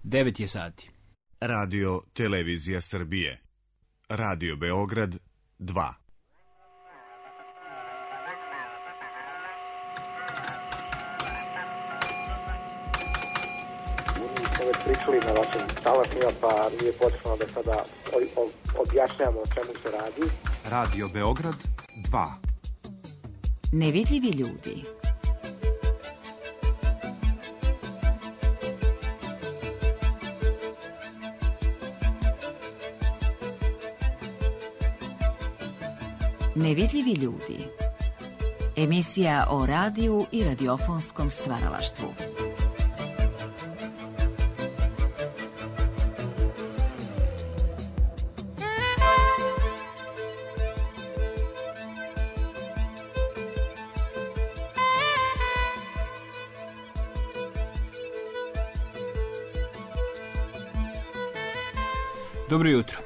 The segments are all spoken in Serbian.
9 je sati. Radio Televizija Srbije. Radio Beograd 2. Već pričali na vašim talasima, pa nije potrebno da sada objašnjamo o čemu se radi. Radio Beograd 2. Nevidljivi ljudi. Nevidljivi ljudi. Emisija o radiju i radiofonskom stvaralaštvu. Dobro jutro.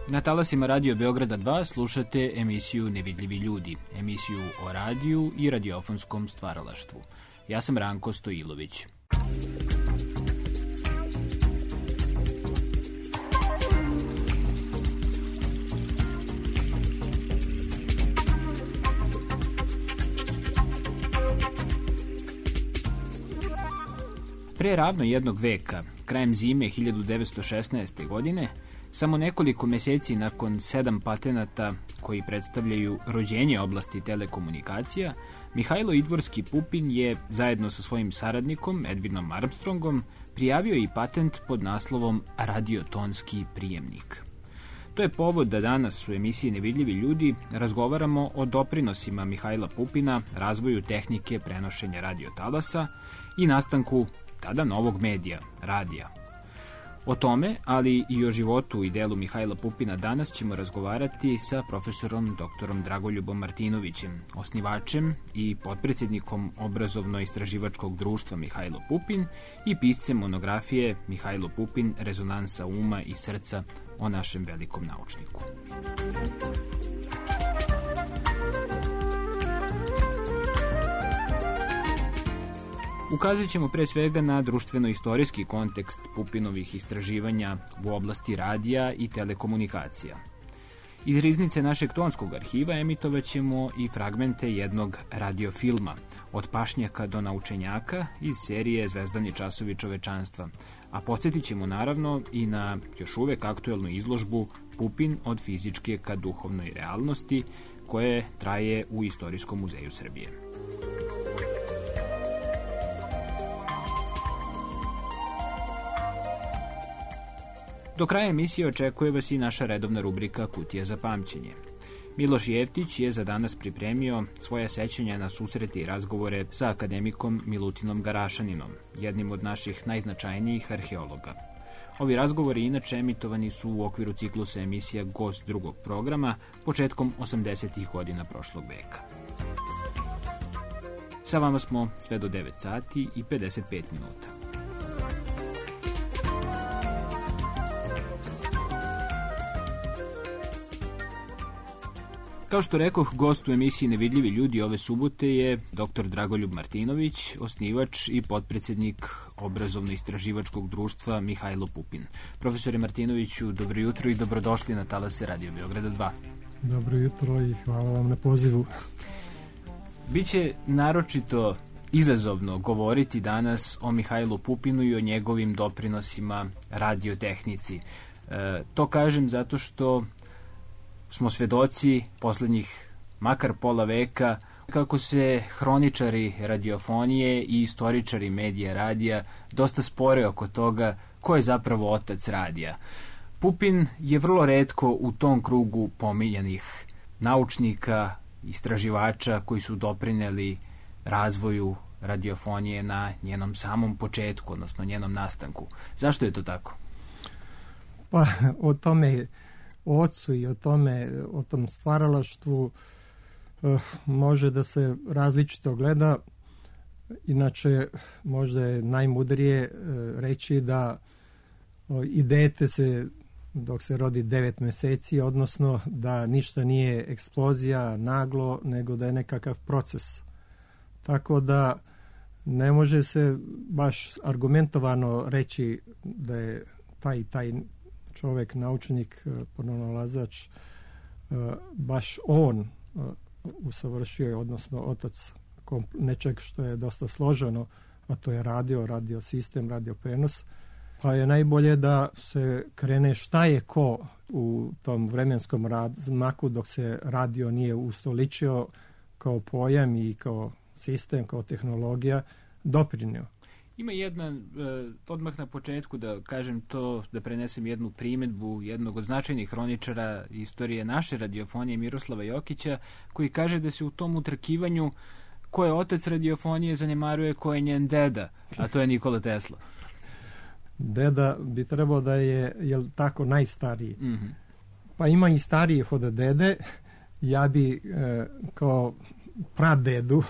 Na talasima Radio Beograda 2 slušate emisiju Nevidljivi ljudi, emisiju o radiju i radiofonskom stvaralaštvu. Ja sam Ranko Stojilović. Pre ravno jednog veka, krajem zime 1916. godine, samo nekoliko meseci nakon 7 patenata koji predstavljaju rođenje oblasti telekomunikacija, Mihajlo Idvorski Pupin je, zajedno sa svojim saradnikom Edvinom Armstrongom, prijavio i patent pod naslovom radiotonski prijemnik. To je povod da danas u emisiji Nevidljivi ljudi razgovaramo o doprinosima Mihajla Pupina, razvoju tehnike prenošenja radiotalasa i nastanku tada novog medija, radija. O tome, ali i o životu i delu Mihajla Pupina danas ćemo razgovarati sa profesorom doktorom Dragoljubom Martinovićem, osnivačem i potpredsjednikom obrazovno-istraživačkog društva Mihajlo Pupin i piscem monografije Mihajlo Pupin, rezonansa uma i srca o našem velikom naučniku. Ukazat ćemo pre svega na društveno-istorijski kontekst Pupinovih istraživanja u oblasti radija i telekomunikacija. Iz riznice našeg tonskog arhiva emitovat ćemo i fragmente jednog radiofilma, od pašnjaka do naučenjaka iz serije Zvezdani časovi čovečanstva, a podsjetit ćemo naravno i na još uvek aktuelnu izložbu Pupin od fizičke ka duhovnoj realnosti, koje traje u Istorijskom muzeju Srbije. Do kraja emisije očekuje vas i naša redovna rubrika Kutija za pamćenje. Miloš Jeftić je za danas pripremio svoje sećanja na susrete i razgovore sa akademikom Milutinom Garašaninom, jednim od naših najznačajnijih arheologa. Ovi razgovori inače emitovani su u okviru ciklusa emisija Gost drugog programa početkom 80. godina prošlog veka. Sa vama smo sve do 9 sati i 55 minuta. Kao što rekoh, gost u emisiji Nevidljivi ljudi ove subote je dr. Dragoljub Martinović, osnivač i potpredsjednik obrazovno-istraživačkog društva Mihajlo Pupin. Profesore Martinoviću, dobro jutro i dobrodošli na talase Radio Beograda 2. Dobro jutro i hvala vam na pozivu. Biće naročito izazovno govoriti danas o Mihajlu Pupinu i o njegovim doprinosima radiotehnici. To kažem zato što smo svedoci poslednjih makar pola veka kako se hroničari radiofonije i istoričari medija radija dosta spore oko toga ko je zapravo otac radija. Pupin je vrlo retko u tom krugu pominjanih naučnika, istraživača koji su doprineli razvoju radiofonije na njenom samom početku, odnosno njenom nastanku. Zašto je to tako? Pa o tome, o ocu i o tom stvaralaštvu može da se različito gleda. Inače, možda je najmudrije reći da i dete se, dok se rodi 9 meseci, odnosno da ništa nije eksplozija, naglo, nego da je nekakav proces. Tako da ne može se baš argumentovano reći da je taj čovjek, naučnik, pronalazač, baš on usavršio, odnosno otac nečeg što je dosta složeno, a to je radio sistem, radio prenos. Pa je najbolje da se krene šta je ko u tom vremenskom razmaku dok se radio nije ustoličio kao pojam i kao sistem, kao tehnologija doprinio. Ima jedna, odmah na početku da kažem to, da prenesem jednu primjedbu jednog od značajnih hroničara istorije naše radiofonije, Miroslava Jokića, koji kaže da se u tom utrkivanju ko je otac radiofonije zanemaruje ko je njen deda, a to je Nikola Tesla. Deda bi trebao da je, jel tako, najstariji. Mm-hmm. Pa ima i starijih od dede. Ja bi kao pradedu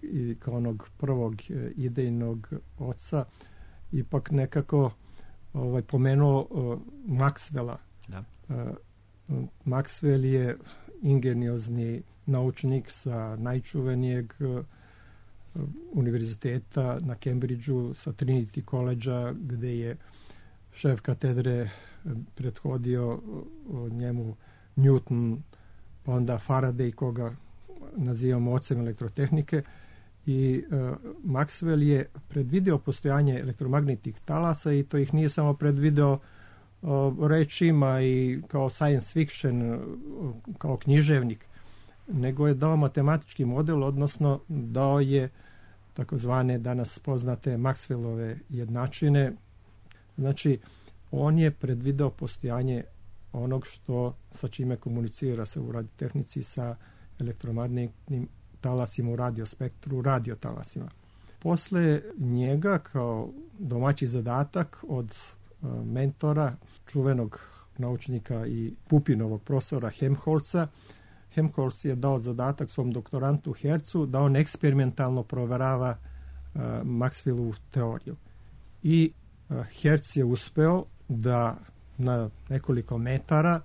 i kao onog prvog idejnog oca ipak nekako pomenuo Maxwella. Da. Maxwell je ingeniozni naučnik sa najčuvenijeg univerziteta na Cambridgeu, sa Trinity College-a, gde je šef katedre prethodio njemu Newton, pa onda Faraday, koga nazivamo ocem elektrotehnike, i Maxwell je predvideo postojanje elektromagnetnih talasa i to ih nije samo predvideo rečima i kao science fiction, kao književnik, nego je dao matematički model, odnosno dao je takozvane danas poznate Maxwellove jednačine. Znači, on je predvideo postojanje onog što sa čime komunicira se u radiotehnici sa elektromagnetnim talasima u radiospektru, radiotalasima. Posle njega, kao domaći zadatak od mentora, čuvenog naučnika i Pupinovog profesora Helmholtza, Helmholtz je dao zadatak svom doktorantu Hercu da on eksperimentalno proverava Maxwellovu teoriju. I Hertz je uspeo da na nekoliko metara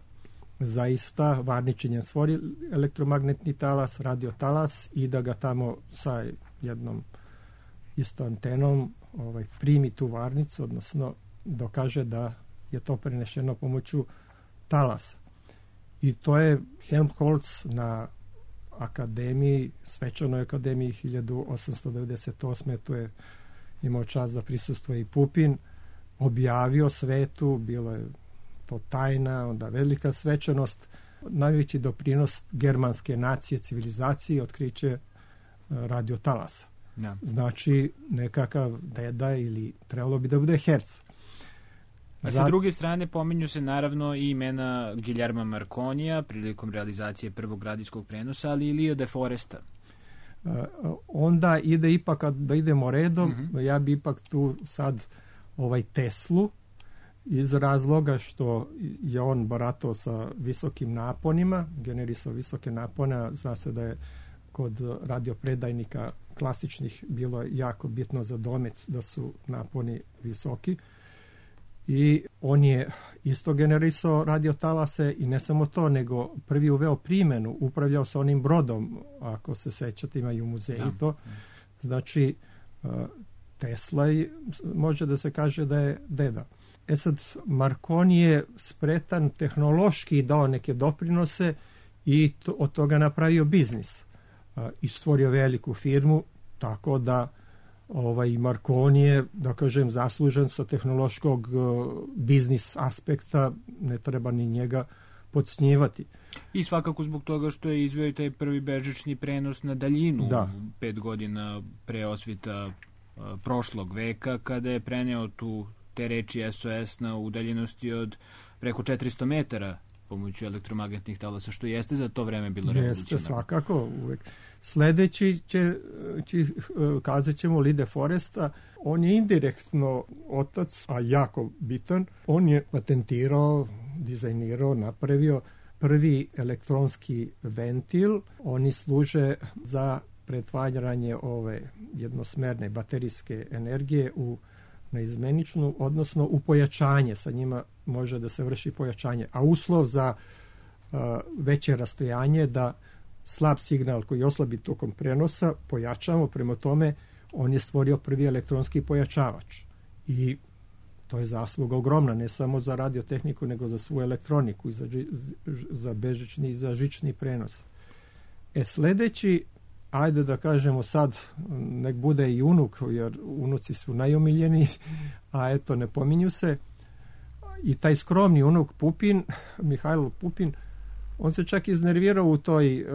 zaista varničenjem stvori elektromagnetni talas, radiotalas, i da ga tamo sa jednom isto antenom primi tu varnicu, odnosno dokaže da je to prenešeno pomoću talasa. I to je Helmholtz na akademiji, svečanoj akademiji 1898. Tu je imao čast da prisustvuje i Pupin, objavio svetu, bilo je to tajna, onda velika svečanost, najveći doprinos germanske nacije, civilizaciji, otkriće radiotalasa. Ja. Znači, nekakav deda ili trebalo bi da bude Hertz. A sa druge strane pominju se naravno i imena Guillerma Marconija prilikom realizacije prvog radijskog prenosa, ali i Leo de Foresta. Onda ide ipak, da idemo redom, ja bi ipak tu sad Teslu, iz razloga što je on baratao sa visokim naponima, generisao visoke napone, zna se da je kod radiopredajnika klasičnih bilo jako bitno za domet da su naponi visoki, i on je isto generisao radiotalase, i ne samo to, nego prvi uveo primjenu, upravljao sa onim brodom, ako se sećate, ima i u muzeju to. Znači, Tesla može da se kaže da je deda. Sad, Marconi je spretan tehnološki dao neke doprinose i od toga napravio biznis. I stvorio veliku firmu, tako da Marconi je, da kažem, zaslužen sa tehnološkog biznis aspekta, ne treba ni njega podcjenjivati. I svakako zbog toga što je izveo taj prvi bežični prenos na daljinu 5 godina pre osvita prošlog veka, kada je preneo te reči SOS na udaljenosti od preko 400 metara pomoću elektromagnetnih talasa, što jeste za to vreme bilo revolucionarno. Jeste, svakako, uvek. Sledeći kazat ćemo Lee de Foresta, on je indirektno otac, a jako bitan. On je patentirao, dizajnirao, napravio prvi elektronski ventil. Oni služe za pretvaranje ove jednosmerne baterijske energije u neizmeničnu, odnosno u pojačanje. Sa njima može da se vrši pojačanje. A uslov za veće rastojanje da slab signal koji oslabi tokom prenosa pojačamo, prema tome on je stvorio prvi elektronski pojačavač. I to je zasluga ogromna, ne samo za radiotehniku, nego za svu elektroniku, i za bežični i za žični prenos. Sljedeći, ajde da kažemo sad, nek bude i unuk, jer unuci su najomiljeni, a eto, ne pominju se. I taj skromni unuk Pupin, Mihajlo Pupin, on se čak iznervirao u toj,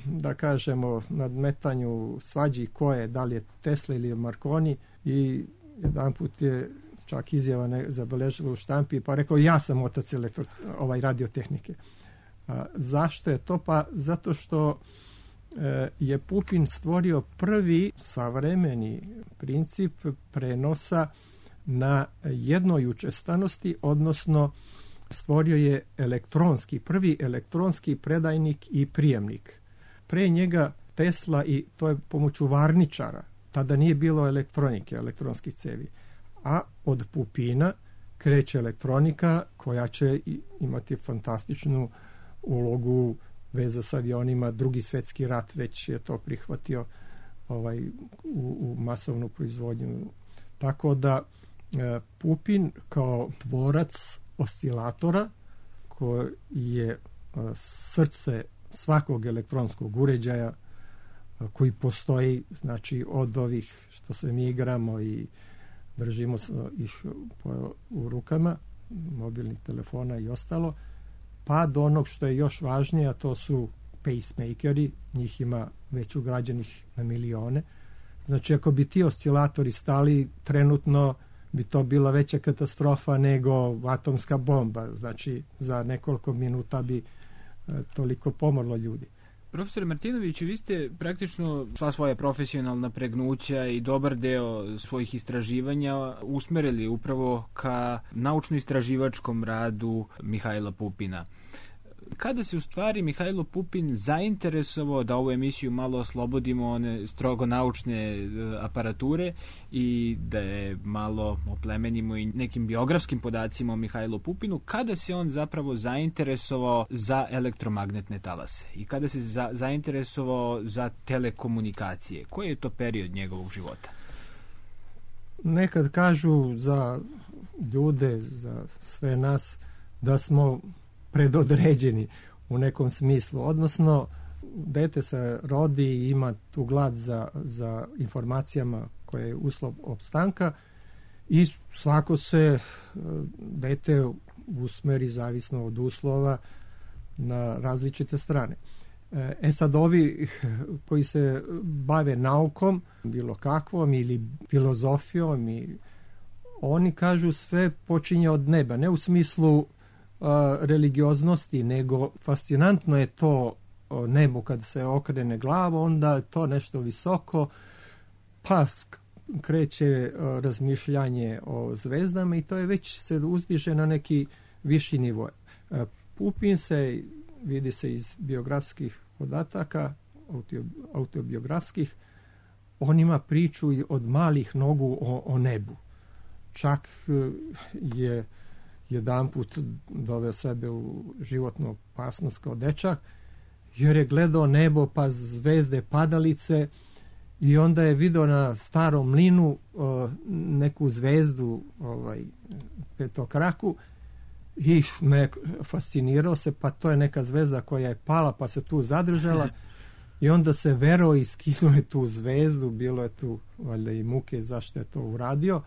da kažemo, nadmetanju svađi ko je, da li je Tesla ili je Marconi, i jedan put je čak izjava zabeležila u štampi, pa rekao, ja sam otac radiotehnike. Zašto je to? Pa zato što je Pupin stvorio prvi savremeni princip prenosa na jednoj učestanosti, odnosno stvorio je prvi elektronski predajnik i prijemnik. Pre njega Tesla, i to je pomoću varničara, tada nije bilo elektronike, elektronskih cevi. A od Pupina kreće elektronika koja će imati fantastičnu ulogu, veza s avionima, Drugi svjetski rat već je to prihvatio u masovnu proizvodnju. Tako da Pupin kao tvorac oscilatora, koji je srce svakog elektronskog uređaja koji postoji, znači od ovih što se mi igramo i držimo ih u rukama, mobilnih telefona i ostalo, pa do onog što je još važnije, a to su pacemakeri, njih ima već ugrađenih na milione. Znači, ako bi ti oscilatori stali, trenutno bi to bila veća katastrofa nego atomska bomba. Znači, za nekoliko minuta bi toliko pomrlo ljudi. Profesor Martinović, vi ste praktično sva svoja profesionalna pregnuća i dobar deo svojih istraživanja usmerili upravo ka naučno-istraživačkom radu Mihajla Pupina. Kada se u stvari Mihajlo Pupin zainteresovao da ovu emisiju malo oslobodimo one strogo naučne aparature i da je malo oplemenimo i nekim biografskim podacima o Mihajlu Pupinu, kada se on zapravo zainteresovao za elektromagnetne talase i kada se zainteresovao za telekomunikacije? Koji je to period njegovog života? Nekad kažu za ljude, za sve nas, da smo predodređeni u nekom smislu. Odnosno, dete se rodi i ima tu glad za informacijama koje je uslov opstanka i svako se dete usmeri zavisno od uslova na različite strane. Sad ovi koji se bave naukom, bilo kakvom, ili filozofijom, oni kažu sve počinje od neba, ne u smislu religioznosti, nego fascinantno je to nebo kad se okrene glava, onda je to nešto visoko, pa kreće razmišljanje o zvezdama i to je već se uzdiže na neki viši nivo. Pupin se, vidi se iz biografskih podataka, autobiografskih, on ima priču od malih nogu o nebu. Čak je jedanput doveo sebe u životnu opasnost kao dečak, jer je gledao nebo, pa zvezde, padalice, i onda je vidio na starom mlinu neku zvezdu, petokraku, i fascinirao se, pa to je neka zvezda koja je pala, pa se tu zadržala, i onda se verao i skinuo je tu zvezdu, bilo je tu valjda i muke zašto je to uradio,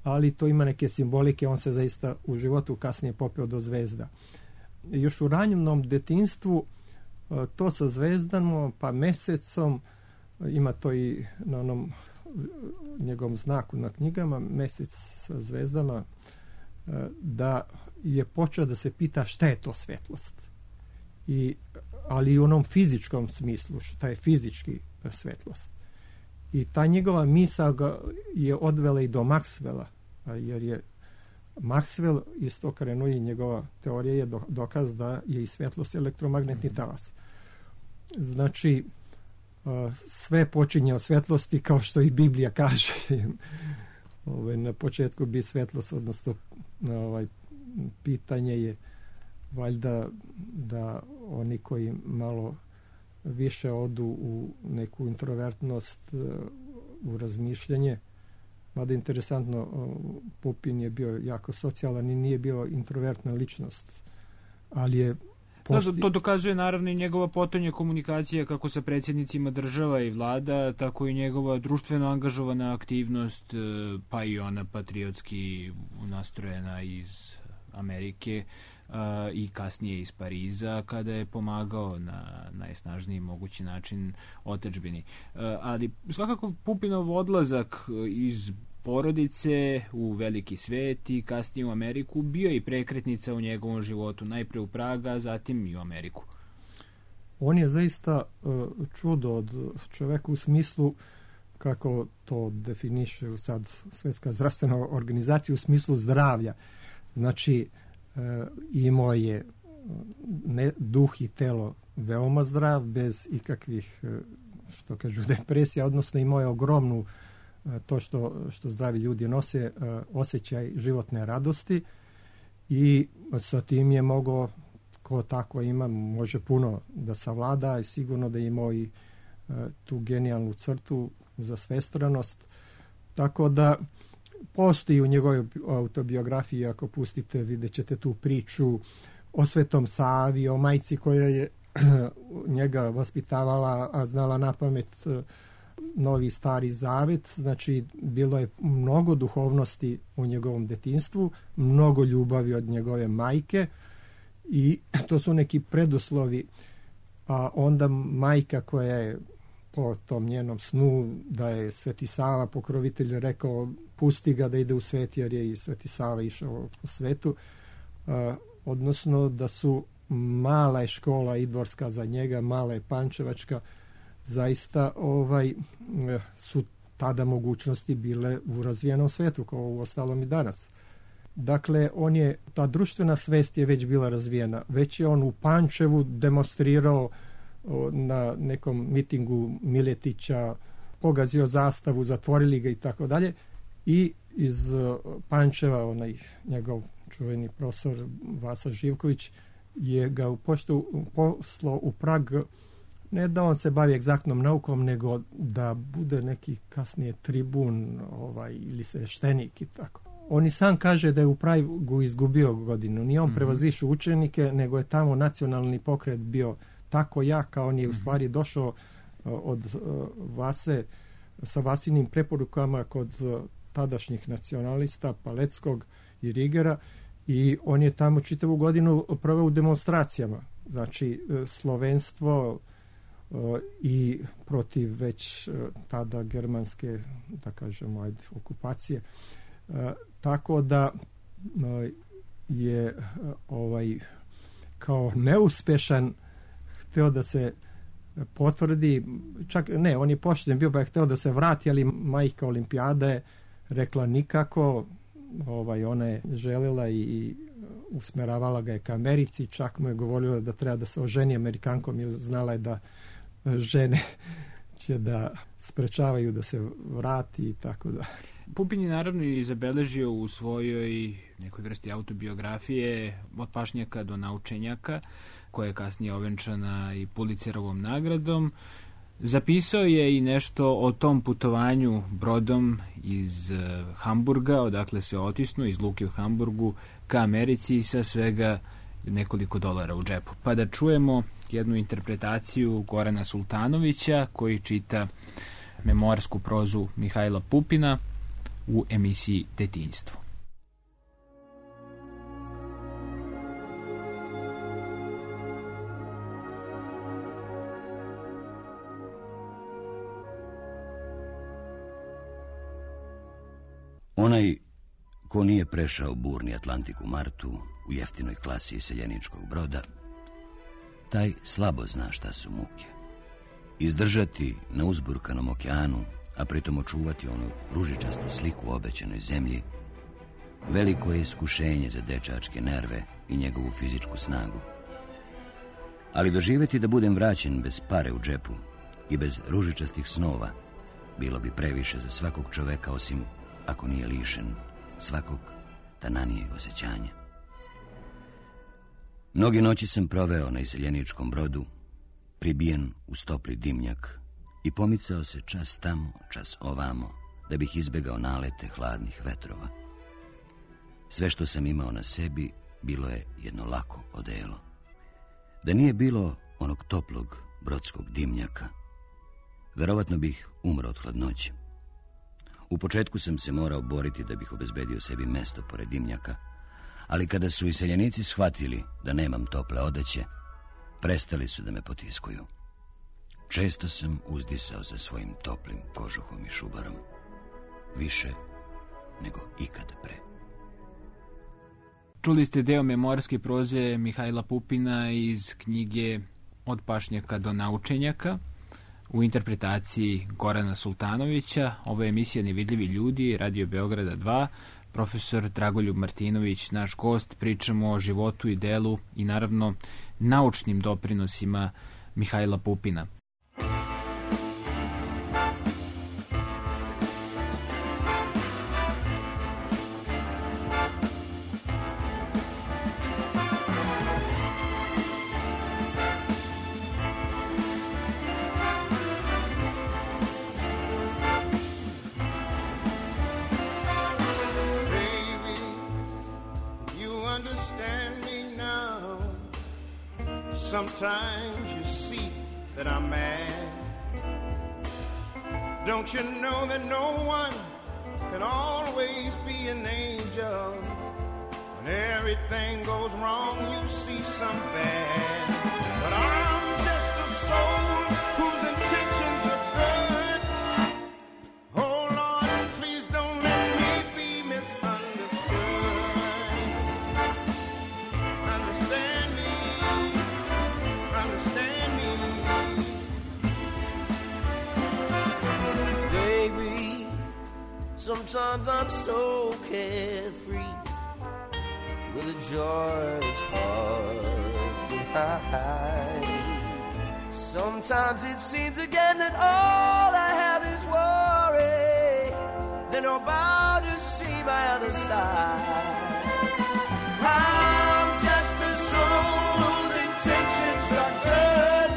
ali to ima neke simbolike, on se zaista u životu kasnije popeo do zvezda. Još u ranjivnom detinjstvu to sa zvezdama, pa mesecom, ima to i na onom njegovom znaku na knjigama, mesec sa zvezdama, da je počeo da se pita šta je to svetlost. Ali i u onom fizičkom smislu, šta je fizički svetlost. I ta njegova misao ga je odvela i do Maxwella, jer je Maxwell isto krenuo i njegova teorija je dokaz da je i svetlost elektromagnetni talas. Znači, sve počinje od svetlosti, kao što i Biblija kaže. Na početku bi svetlost, odnosno pitanje je valjda da oni koji malo više odu u neku introvertnost, u razmišljanje. Mada interesantno, Pupin je bio jako socijalan i nije bio introvertna ličnost, ali je to dokazuje naravno i njegova potonja komunikacija kako sa predsjednicima država i vlada, tako i njegova društveno angažovana aktivnost, pa i ona patriotski nastrojena iz Amerike i kasnije iz Pariza, kada je pomagao na najsnažniji mogući način otadžbini. Ali svakako Pupinov odlazak iz porodice u veliki svet i kasnije u Ameriku bio i prekretnica u njegovom životu, najpre u Praga, zatim i u Ameriku. On je zaista čudo od čoveka u smislu, kako to definiše sad Svjetska zdravstvena organizacija, u smislu zdravlja. Znači, imao je duh i telo veoma zdrav, bez ikakvih, što kažu, depresija, odnosno imao je ogromnu, to što zdravi ljudi nose, osjećaj životne radosti, i sa tim je mogao, ko tako ima, može puno da savlada, i sigurno da je imao i tu genijalnu crtu za svestranost. Tako da postoji u njegovoj autobiografiji, ako pustite, vidjet ćete tu priču o Svetom Savi, o majci koja je njega vaspitavala, a znala napamet Novi Stari Zavet. Znači, bilo je mnogo duhovnosti u njegovom detinjstvu, mnogo ljubavi od njegove majke, i to su neki preduslovi. A onda majka, koja je po tom njenom snu da je Sveti Sava pokrovitelj, rekao pusti ga da ide u svet, jer je i Sveti Sava išao po svetu, odnosno da su mala je škola idvorska za njega, mala je pančevačka, zaista su tada mogućnosti bile u razvijenom svetu, kao u ostalom i danas. Dakle, ta društvena svest je već bila razvijena. Već je on u Pančevu demonstrirao na nekom mitingu Miletića, pogazio zastavu, zatvorili ga i tako dalje. I iz Pančeva, onaj njegov čuveni profesor Vasa Živković, je ga poslao u Prag, ne da on se bavi egzaktnom naukom, nego da bude neki kasnije tribun ili sveštenik i tako. On i sam kaže da je u Pragu izgubio godinu. Nije on prevazišao učenike, nego je tamo nacionalni pokret bio tako jak, a on je u stvari došao od Vase sa Vasinim preporukama kod tadašnjih nacionalista Paleckog i Rigera, i on je tamo čitavu godinu proveo u demonstracijama. Znači, slovenstvo i protiv već tada germanske, da kažemo, okupacije. Tako da je kao neuspešan hteo da se potvrdi, čak ne, on je pošten bio, pa je hteo da se vrati, ali majka olimpijada je rekla nikako. Ona je željela i usmeravala ga je ka Americi, čak mu je govorila da treba da se oženi Amerikankom, jer znala je da žene će da sprečavaju da se vrati i tako da. Pupin je naravno i zabeležio u svojoj nekoj vrsti autobiografije od pašnjaka do naučenjaka, koja je kasnije ovenčana i Pulitzerovom nagradom. Zapisao je i nešto o tom putovanju brodom iz Hamburga, odakle se otisnuo iz luke u Hamburgu ka Americi sa svega nekoliko dolara u džepu. Pa da čujemo jednu interpretaciju Gorana Sultanovića, koji čita memoarsku prozu Mihajla Pupina u emisiji Detinjstvo. Onaj ko nije prešao burni Atlantik u martu u jeftinoj klasi seljeničkog broda, taj slabo zna šta su muke. Izdržati na uzburkanom okeanu, a pritom očuvati onu ružičastu sliku u obećanoj zemlji, veliko je iskušenje za dečačke nerve i njegovu fizičku snagu. Ali doživjeti da budem vraćen bez pare u džepu i bez ružičastih snova bilo bi previše za svakog čoveka, osim ako nije lišen svakog tananijeg osjećanja. Mnoge noći sam proveo na iseljeničkom brodu, pribijen uz topli dimnjak i pomicao se čas tamo, čas ovamo, da bih izbjegao nalete hladnih vetrova. Sve što sam imao na sebi bilo je jedno lako odelo. Da nije bilo onog toplog brodskog dimnjaka, verovatno bih umro od hladnoće. U početku sam se morao boriti da bih obezbedio sebi mesto pored dimnjaka, ali kada su iseljenici shvatili da nemam tople odeće, prestali su da me potiskuju. Često sam uzdisao za svojim toplim kožuhom i šubarom, više nego ikada pre. Čuli ste deo memorske proze Mihajla Pupina iz knjige Od pašnjaka do naučenjaka u interpretaciji Gorana Sultanovića. Ovo je emisija Nevidljivi ljudi, Radio Beograda 2. Profesor Dragoljub Martinović, naš gost. Pričamo o životu i delu i naravno naučnim doprinosima Mihajla Pupina. Sometimes you see that I'm mad. Don't you know that no one can always be an angel? When everything goes wrong, you see some bad. But I'm just a soul whose intentions are good. Oh Lord, please don't let me be misunderstood. Understand me. Understand me. Baby, sometimes I'm so carefree, with a joy that's hard to hide. Sometimes it seems again that all I have is worry, then I'm about to see my other side. I'm just a soul whose intentions are good.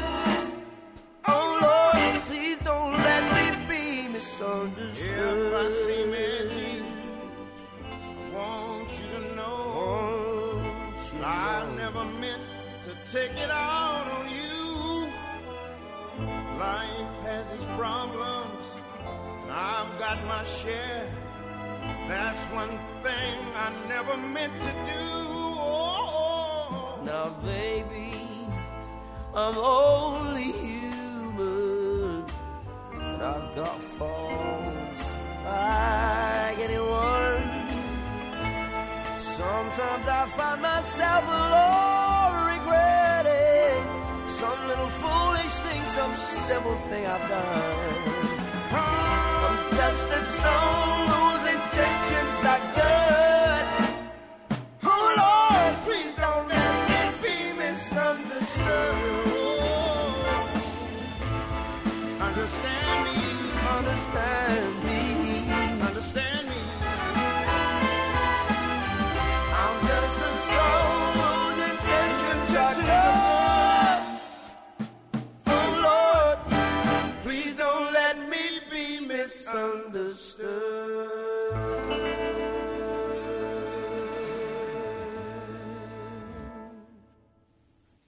Oh Lord, please don't let me be misunderstood. If I seem edgy, I want you to know I never meant to take it out on you. Life has its problems, and I've got my share. That's one thing I never meant to do. Oh. Now, baby, I'm only human, and I've got faults like anyone. Sometimes I find myself alone regretting some little foolish thing, some simple thing I've done. I'm just a soul whose intentions are good. Oh Lord, please don't let me be misunderstood. Understand me. Understand me. Understand me. I'm just a soul whose intentions are good. Oh Lord, please don't let me be misunderstood.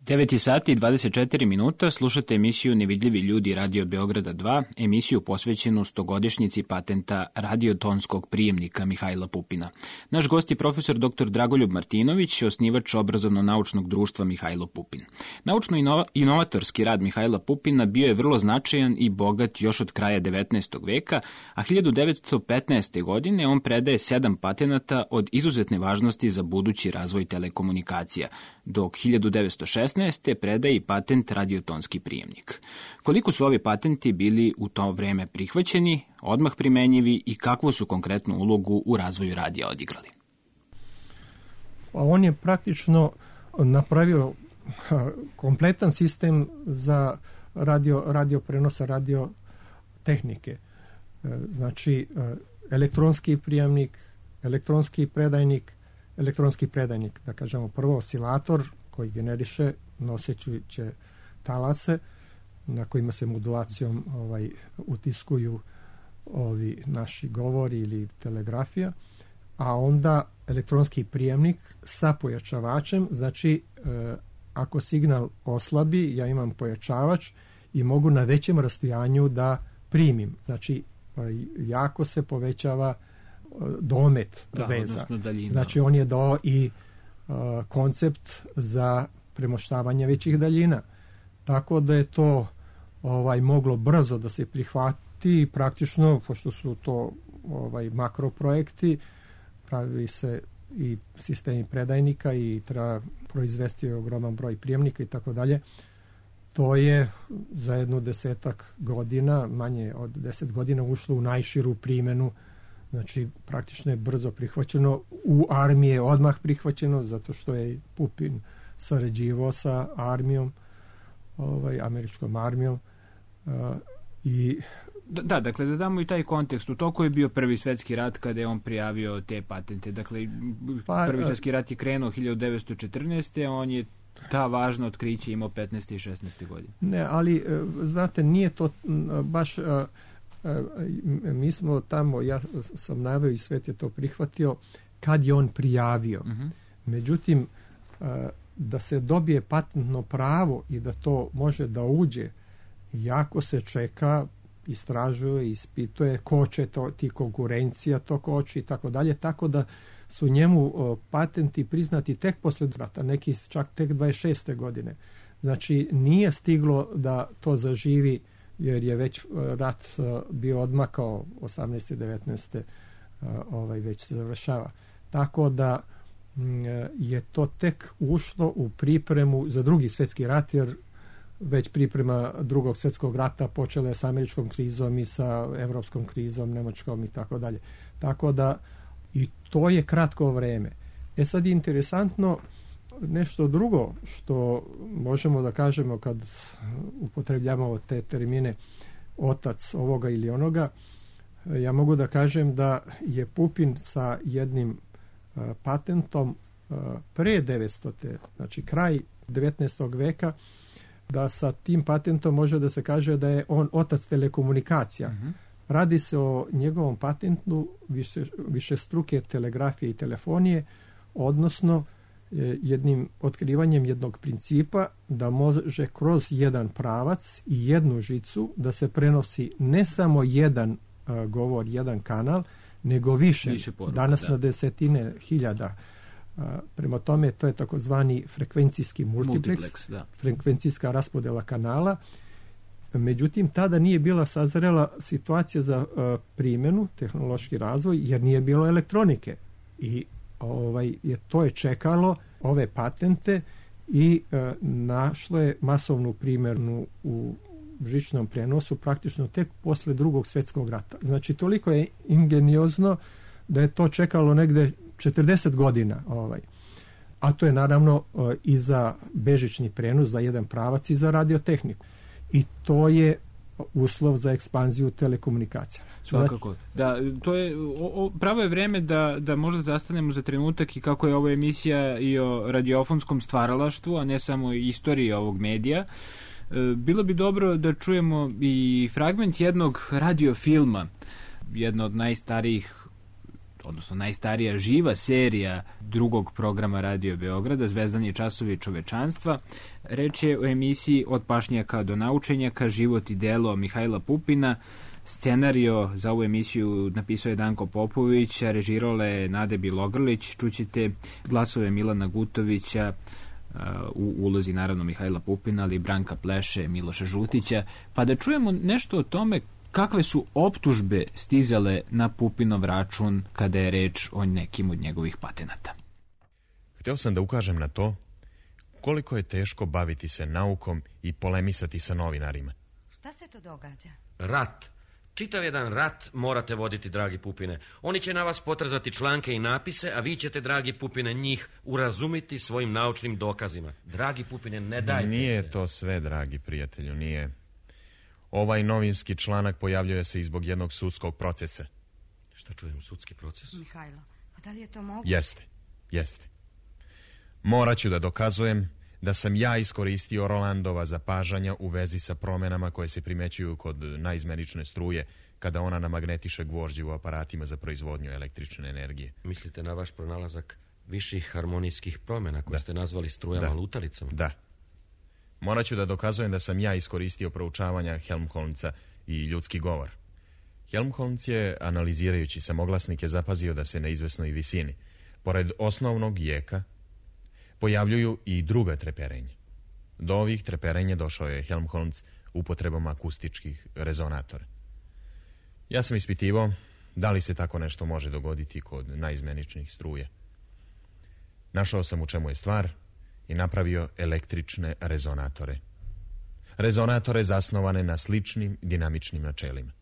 9 sati i 24 minuta, slušate emisiju Nevidljivi ljudi Radio Beograda 2, emisiju posvećenu 100-godišnjici patenta radiotonskog prijemnika Mihajla Pupina. Naš gost je profesor dr. Dragoljub Martinović, osnivač obrazovno-naučnog društva Mihajlo Pupin. Naučno-inovatorski rad Mihajla Pupina bio je vrlo značajan i bogat još od kraja 19. veka, a 1915. godine on predaje 7 patenata od izuzetne važnosti za budući razvoj telekomunikacija, dok 1916. predaje i patent radiotonski prijemnik. Koliko su ovi patenti bili u to vreme prihvaćeni, odmah primenjivi i kakvu su konkretnu ulogu u razvoju radija odigrali? On je praktično napravio kompletan sistem za radio prenosa, radio tehnike. Znači, elektronski prijemnik, elektronski predajnik, da kažemo prvo oscilator koji generiše noseće talase na kojima se modulacijom utiskuju ovi naši govori ili telegrafija, a onda elektronski prijemnik sa pojačavačem, znači ako signal oslabi, ja imam pojačavač i mogu na većem rastojanju da primim. Znači, jako se povećava domet veza. Znači, on je dao i koncept za premoštavanje većih daljina. Tako da je to moglo brzo da se prihvati i praktično, pošto su to makroprojekti, pravi se i sistemi predajnika i treba proizvesti ogroman broj prijemnika i tako dalje. To je za jedno 10 godina, manje od 10 godina, ušlo u najširu primjenu. Znači, praktično je brzo prihvaćeno. U armiji je odmah prihvaćeno, zato što je Pupin sarađivao sa armijom, američkom armijom. Da, dakle, da damo i taj kontekst. U toku je bio Prvi svjetski rat kada je on prijavio te patente. Dakle, Prvi svjetski rat je krenuo 1914. On je ta važna otkriće imao 15. i 16. godine. Ne, ali, znate, nije to baš... mi smo tamo, ja sam naveo i svet je to prihvatio, kad je on prijavio. Međutim, da se dobije patentno pravo i da to može da uđe, jako se čeka, istražuje, ispituje, koče to, ti konkurencija to koči i tako dalje, tako da su njemu patenti priznati tek posle rata, neki čak tek 26. godine. Znači, nije stiglo da to zaživi, jer je već rat bio odmakao 18. 19. Već se završava. Tako da je to tek ušlo u pripremu za Drugi svjetski rat, jer već priprema Drugog svjetskog rata počela je sa američkom krizom i sa evropskom krizom, nemačkom i tako dalje. Tako da i to je kratko vreme. Sad je interesantno nešto drugo što možemo da kažemo kad upotrebljavamo te termine otac ovoga ili onoga. Ja mogu da kažem da je Pupin sa jednim patentom pre 900. znači kraj 19. veka, da sa tim patentom može da se kaže da je on otac telekomunikacija. Radi se o njegovom patentu višestruke telegrafije i telefonije, odnosno jednim otkrivanjem jednog principa da može kroz jedan pravac i jednu žicu da se prenosi ne samo jedan govor, jedan kanal, nego više poruka, danas na desetine hiljada. Prema tome, to je takozvani frekvencijski multiplex, frekvencijska raspodela kanala. Međutim, tada nije bila sazrela situacija za primjenu, tehnološki razvoj, jer nije bilo elektronike. I to je čekalo ove patente i našlo je masovnu primjenu u žičnom prenosu praktično tek posle Drugog svjetskog rata. Znači, toliko je ingeniozno da je to čekalo negde 40 godina. A to je naravno i za bežični prenos, za jedan pravac i za radiotehniku. I to je uslov za ekspanziju telekomunikacija. Svakako. Da, to je, pravo je vreme da možda zastanemo za trenutak i kako je ova emisija i o radiofonskom stvaralaštvu, a ne samo istoriji ovog medija. Bilo bi dobro da čujemo i fragment jednog radiofilma, jedna od najstarijih, odnosno najstarija živa serija drugog programa Radio Beograda, Zvezdani časovi čovečanstva. Reč je o emisiji Od pašnjaka do naučenjaka, život i delo Mihajla Pupina. Scenario za ovu emisiju napisao je Danko Popović, a režirala je Nade Bilogrlić. Čućete glasove Milana Gutovića, u ulozi naravno Mihajla Pupina, ali Branka Pleše, Miloša Žutića, pa da čujemo nešto o tome kakve su optužbe stizale na Pupinov račun kada je reč o nekim od njegovih patenata. Hteo sam da ukažem na to koliko je teško baviti se naukom i polemisati sa novinarima. Šta se to događa? Rat. Čitav jedan rat morate voditi, dragi Pupine. Oni će na vas potrzati članke i napise, a vi ćete, dragi Pupine, njih urazumiti svojim naučnim dokazima. Dragi Pupine, ne dajte Nije se. to sve, dragi prijatelju, nije. Ovaj novinski članak pojavljuje se i zbog jednog sudskog procesa. Šta čujem, sudski proces? Mihajlo, pa da li je to moguće? Jeste. Morat ću da dokazujem da sam ja iskoristio Rolandova zapažanja u vezi sa promenama koje se primećuju kod naizmenične struje kada ona namagnetiše gvožđe u aparatima za proizvodnju električne energije. Mislite na vaš pronalazak viših harmonijskih promjena koje ste nazvali strujama lutalicom? Da. Morat ću da dokazujem da sam ja iskoristio proučavanja Helmholtza i ljudski govor. Helmholtz je, analizirajući samoglasnike, zapazio da se na izvesnoj visini, pored osnovnog jeka, pojavljuju i druga treperenja. Do ovih treperenja došao je Helmholtz upotrebom akustičkih rezonatora. Ja sam ispitivao da li se tako nešto može dogoditi kod naizmeničnih struja. Našao sam u čemu je stvar i napravio električne rezonatore. Rezonatore zasnovane na sličnim dinamičnim načelima.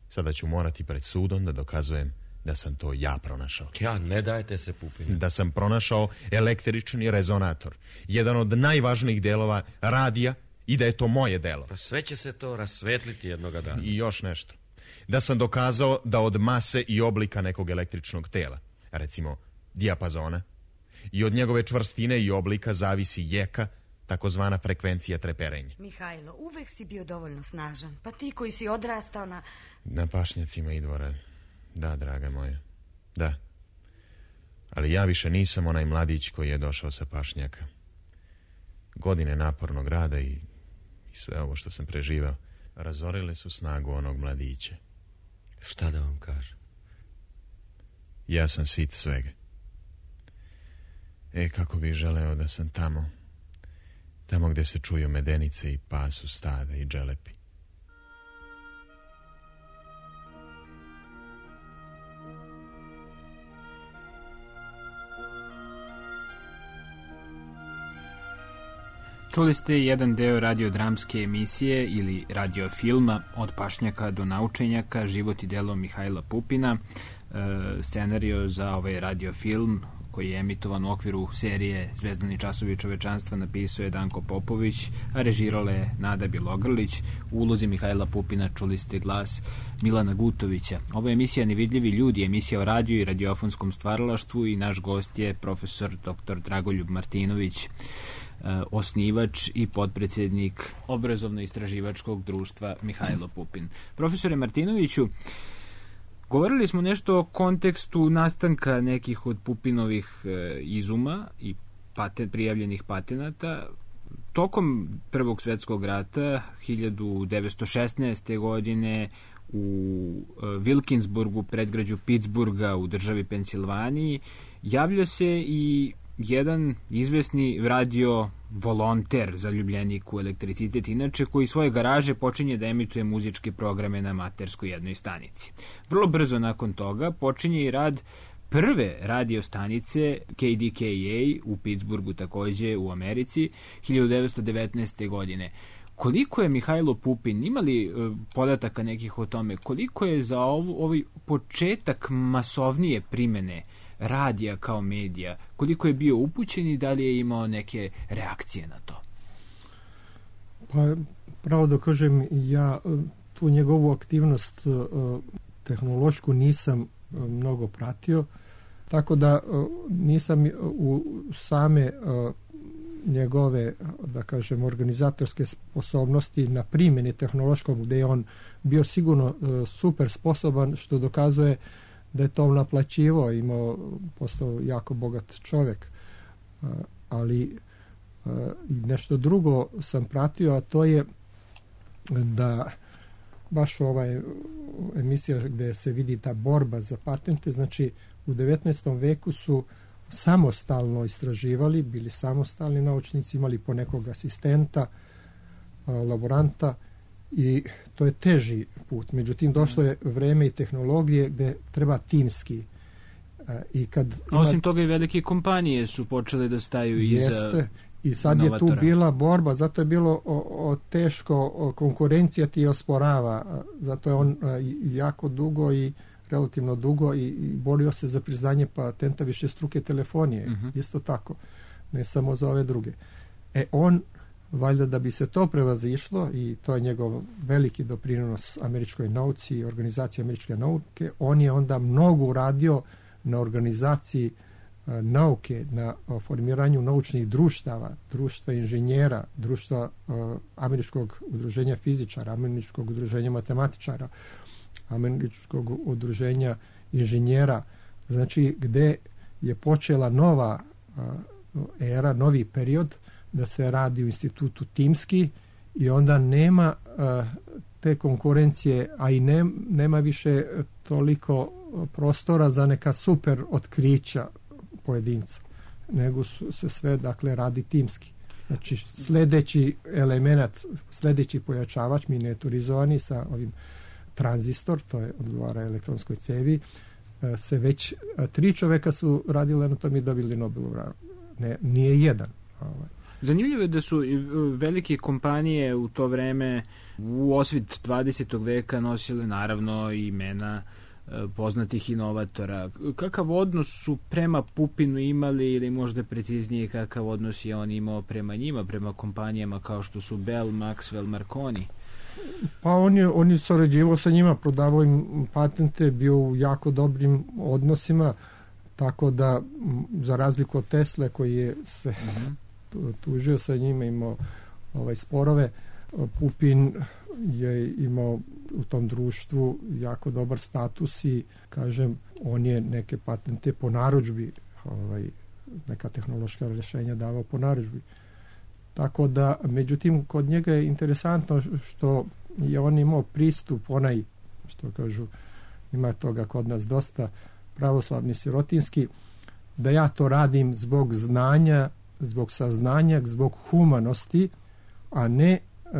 Sada ću morati pred sudom da dokazujem da sam to ja pronašao. Ja, ne dajte se, Pupine. Da sam pronašao električni rezonator, jedan od najvažnijih delova radija, i da je to moje delo. Pa sve će se to rasvetliti jednoga dana. I još nešto. Da sam dokazao da od mase i oblika nekog električnog tela, recimo dijapazona, i od njegove čvrstine i oblika zavisi jeka, takozvana frekvencija treperenja. Mihajlo, uvek si bio dovoljno snažan. Pa ti koji si odrastao na pašnjacima Idvora. Da, draga moja. Da. Ali ja više nisam onaj mladić koji je došao sa pašnjaka. Godine napornog rada i sve ovo što sam preživao razorile su snagu onog mladića. Šta da vam kažem? Ja sam sit svega. Kako bih želeo da sam tamo gde se čuju medenice i pasu stada i dželepi. Čuli ste jedan deo radiodramske emisije ili radiofilma Od pašnjaka do naučenjaka, život i delo Mihajla Pupina. Scenario za ovaj radiofilm koji je emitovan u okviru serije Zvezdani časovi čovečanstva napisao je Danko Popović, a režirala je Nada Bjelogrlić. U ulozi Mihajla Pupina čuli ste glas Milana Gutovića. Ovo je emisija Nevidljivi ljudi, emisija o radiju i radiofonskom stvaralaštvu i naš gost je profesor dr. Dragoljub Martinović, osnivač i potpredsjednik obrazovno-istraživačkog društva Mihajlo Pupin. Profesore Martinoviću, govorili smo nešto o kontekstu nastanka nekih od Pupinovih izuma i prijavljenih patenata. Tokom Prvog svjetskog rata 1916. godine u Wilkinsburgu, predgrađu Pittsburgha u državi Pensilvaniji, javlja se i jedan izvesni radio volonter, zaljubljenik u elektricitet, inače, koji svoje garaže počinje da emituje muzičke programe na amaterskoj jednoj stanici. Vrlo brzo nakon toga počinje i rad prve radio stanice KDKA u Pittsburghu, takođe u Americi, 1919. godine. Koliko je Mihajlo Pupin, imali podataka nekih o tome, koliko je za ovaj početak masovnije primene radija kao medija, koliko je bio upućen i da li je imao neke reakcije na to? Pa, pravo da kažem, ja tu njegovu aktivnost tehnološku nisam mnogo pratio, tako da nisam u same njegove, da kažem, organizatorske sposobnosti na primjeni tehnološkom, gde je on bio sigurno super sposoban, što dokazuje da je to naplaćivo, postao jako bogat čovjek. Ali nešto drugo sam pratio, a to je da baš ovaj emisija gde se vidi ta borba za patente, znači u 19. veku su samostalno istraživali, bili samostalni naučnici, imali po nekog asistenta, laboranta, i to je teži put. Međutim, došlo je vreme i tehnologije gde treba timski. Osim toga i velike kompanije su počele da staju iza. I sad novatora. Je tu bila borba, zato je bilo teško, konkurencija ti osporava, zato je on jako dugo i relativno dugo i borio se za priznanje patenta višestruke telefonije. Isto tako, ne samo za ove druge. On, valjda da bi se to prevazišlo, i to je njegov veliki doprinos američkoj nauci i organizaciji američke nauke, on je onda mnogo uradio na organizaciji nauke, na formiranju naučnih društava, društva inženjera, društva Američkog udruženja fizičara, Američkog udruženja matematičara, Američkog udruženja inženjera, znači gde je počela nova era, novi period, da se radi u institutu timski i onda nema te konkurencije, a i nema više toliko prostora za neka super otkrića pojedinca, nego se sve, dakle, radi timski. Znači, sljedeći element, sljedeći pojačavač miniaturizovani sa ovim tranzistor, to je odgovara elektronskoj cevi, se već 3 čoveka su radili na tom i dobili Nobelovu nagradu. Nije jedan. Zanimljivo je da su velike kompanije u to vreme u osvit 20. veka nosile naravno imena poznatih inovatora. Kakav odnos su prema Pupinu imali, ili možda preciznije kakav odnos je on imao prema njima, prema kompanijama kao što su Bell, Maxwell, Marconi? Pa on je sarađivao sa njima, prodavao im patente, bio u jako dobrim odnosima, tako da za razliku od Tesle koji je se tužio sa njima, imao sporove, Pupin je imao u tom društvu jako dobar status i, kažem, on je neke patente po narudžbi, neka tehnološka rješenja davao po narudžbi. Tako da, međutim, kod njega je interesantno što je on imao pristup, onaj, što kažu, ima toga kod nas dosta, pravoslavni sirotinski, da ja to radim zbog znanja, zbog saznanja, zbog humanosti, a ne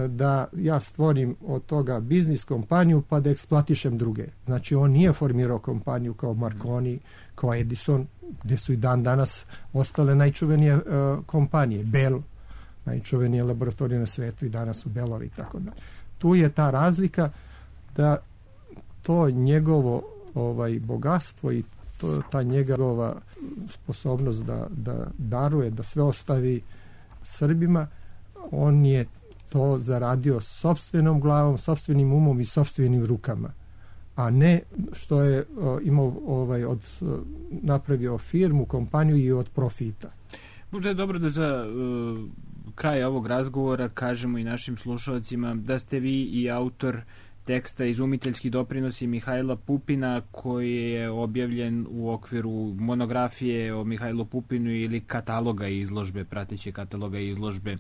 da ja stvorim od toga biznis kompaniju pa da eksploatišem druge. Znači, on nije formirao kompaniju kao Marconi, kao Edison, gde su i dan danas ostale najčuvenije kompanije. Bell, najčuvenije laboratorije na svetu, i danas su Bellovi i tako da. Tu je ta razlika da to njegovo bogatstvo i ta njegova sposobnost da daruje, da sve ostavi Srbima, on je to zaradio sopstvenom glavom, sopstvenim umom i sopstvenim rukama, a ne što je imao napravio firmu, kompaniju i od profita. Možda je dobro da za kraj ovog razgovora kažemo i našim slušalcima da ste vi i autor teksta Izumiteljski doprinosi Mihajla Pupina, koji je objavljen u okviru monografije o Mihajlu Pupinu ili kataloga izložbe, prateće kataloga izložbe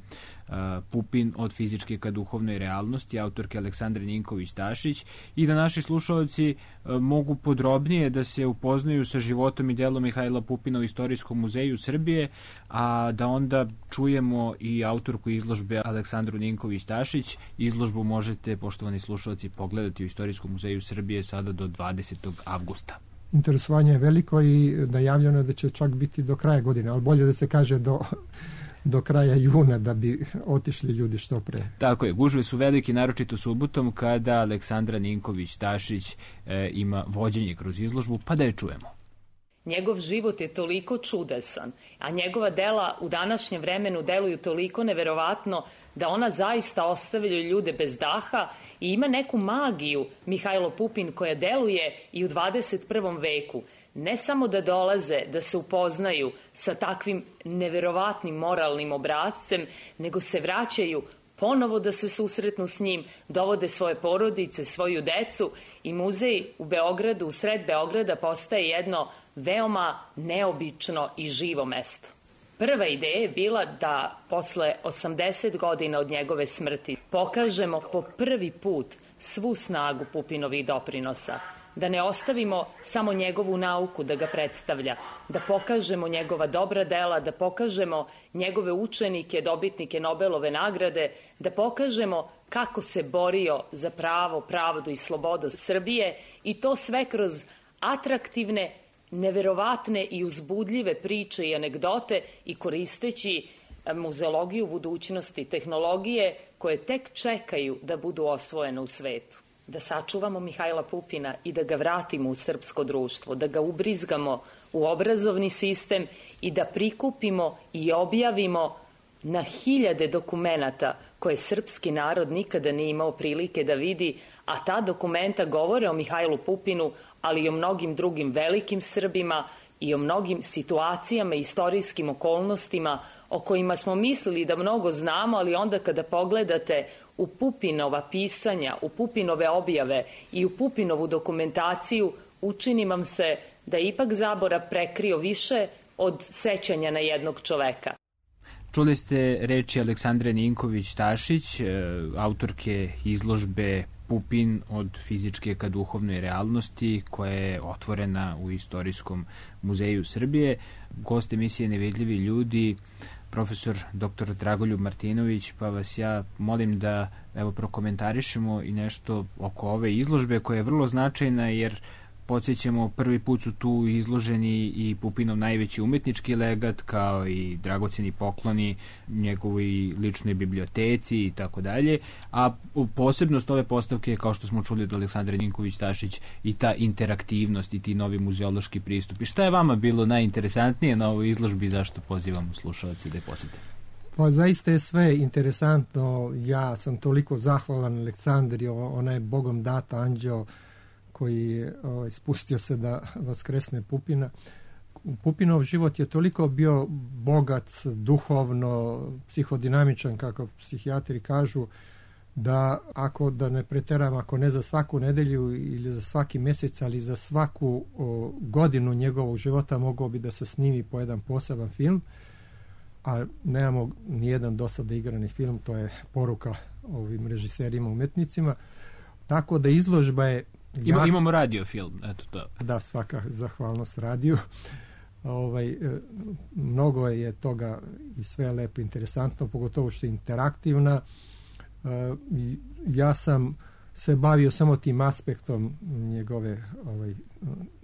Pupin od fizičke ka duhovnoj realnosti, autorke Aleksandre Ninković-Tašić, i da naši slušalci mogu podrobnije da se upoznaju sa životom i delom Mihajla Pupina u Istorijskom muzeju Srbije, a da onda čujemo i autorku izložbe Aleksandru Ninković-Tašić. Izložbu možete, poštovani slušalci, pogledati u Istorijskom muzeju Srbije sada do 20. avgusta. Interesovanje je veliko i najavljeno je da će čak biti do kraja godine, ali bolje da se kaže do kraja juna, da bi otišli ljudi što pre. Tako je, gužve su veliki, naročito subotom, kada Aleksandra Ninković-Tašić ima vođenje kroz izložbu, pa da je čujemo. Njegov život je toliko čudesan, a njegova dela u današnjem vremenu deluju toliko neverovatno da ona zaista ostavljaju ljude bez daha i ima neku magiju, Mihajlo Pupin, koja deluje i u 21. veku. Ne samo da dolaze, da se upoznaju sa takvim neverovatnim moralnim obrazcem, nego se vraćaju ponovo da se susretnu s njim, dovode svoje porodice, svoju decu, i muzej u Beogradu, u sred Beograda, postaje jedno veoma neobično i živo mesto. Prva ideja je bila da posle 80 godina od njegove smrti pokažemo po prvi put svu snagu Pupinovih doprinosa, da ne ostavimo samo njegovu nauku da ga predstavlja, da pokažemo njegova dobra dela, da pokažemo njegove učenike, dobitnike Nobelove nagrade, da pokažemo kako se borio za pravo, pravdu i slobodu Srbije, i to sve kroz atraktivne, neverovatne i uzbudljive priče i anegdote, i koristeći muzeologiju budućnosti, tehnologije koje tek čekaju da budu osvojene u svetu. Da sačuvamo Mihajla Pupina i da ga vratimo u srpsko društvo, da ga ubrizgamo u obrazovni sistem i da prikupimo i objavimo na hiljade dokumenata koje srpski narod nikada nije imao prilike da vidi, a ta dokumenta govore o Mihajlu Pupinu, ali i o mnogim drugim velikim Srbima i o mnogim situacijama i istorijskim okolnostima o kojima smo mislili da mnogo znamo, ali onda kada pogledate u Pupinova pisanja, u Pupinove objave i u Pupinovu dokumentaciju, učini vam se da je ipak zaborav prekrio više od sećanja na jednog čoveka. Čuli ste reči Aleksandre Ninković-Tašić, autorke izložbe Pupin od fizičke ka duhovnoj realnosti, koja je otvorena u Istorijskom muzeju Srbije. Gost emisije Nevidljivi ljudi, profesor dr. Dragoljub Martinović, pa vas ja molim da prokomentarišemo i nešto oko ove izložbe koja je vrlo značajna, jer podsjećamo, prvi put su tu izloženi i Pupinov najveći umetnički legat, kao i dragoceni pokloni njegovoj ličnoj biblioteci i tako dalje, a posebnost ove postavke, kao što smo čuli od Aleksandra Ninković-Tašić, i ta interaktivnost i ti novi muzeološki pristup. I šta je vama bilo najinteresantnije na ovoj izložbi i zašto pozivamo slušalce da je posete? Pa zaista je sve interesantno. Ja sam toliko zahvalan Aleksandri, ona je Bogom data anđeo koji je spustio se da vaskresne Pupina. Pupinov život je toliko bio bogat, duhovno, psihodinamičan, kako psihijatri kažu, da ako da ne preteram, ako ne za svaku nedelju ili za svaki mjesec, ali za svaku godinu njegovog života mogao bi da se snimi po jedan poseban film, a nemamo nijedan do sada igrani film, to je poruka ovim režiserima, umetnicima. Tako da izložba je Imamo radio film, eto to. Da, svaka zahvalnost radiju. Mnogo je toga i sve je lepo interesantno, pogotovo što je interaktivna. Ja sam se bavio samo tim aspektom njegove